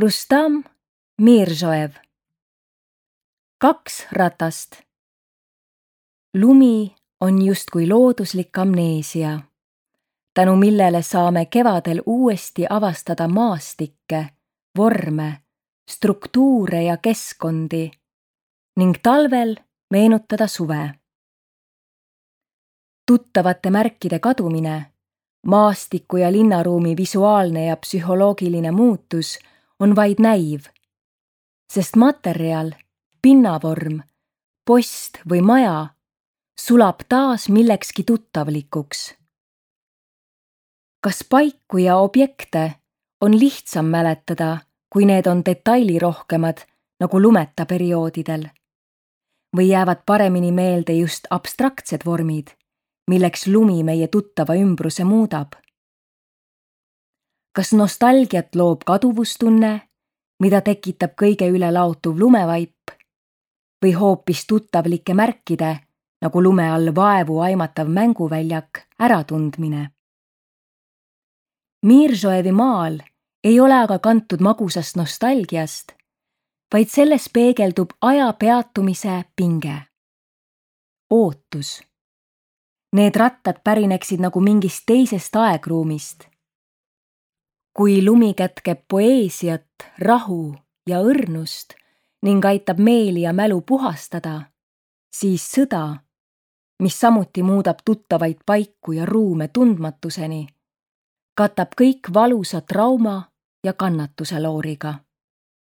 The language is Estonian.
Rustam Mirzoev. 2 ratast. Lumi on justkui looduslik amneesia, tänu millele saame kevadel uuesti avastada maastikke, vorme, struktuure ja keskkondi ning talvel meenutada suve. Tuttavate märkide kadumine, maastiku ja linnaruumi visuaalne ja psühholoogiline muutus on vaid näiv, sest materjal, pinnavorm, post või maja sulab taas millekski tuttavlikuks. Kas paiku ja objekte on lihtsam mäletada, kui need on detailirohkemad nagu lumeta perioodidel? Või jäävad paremini meelde just abstraktsed vormid, milleks lumi meie tuttava ümbruse muudab? Kas nostalgiat loob kaduvustunne, mida tekitab kõige üle laotuv lumevaip, või hoopis tuttavlike märkide, nagu lume all vaevu aimatav mänguväljak, äratundmine? Mirzoevi maal ei ole aga kantud magusast nostalgiast, vaid selles peegeldub aja peatumise pinge. Ootus. Need rattad pärineksid nagu mingist teisest aegruumist. Kui lumi kätkeb poeesiat, rahu ja õrnust ning aitab meeli ja mälu puhastada, siis sõda, mis samuti muudab tuttavaid paiku ja ruume tundmatuseni, katab kõik valusa trauma ja kannatuse looriga.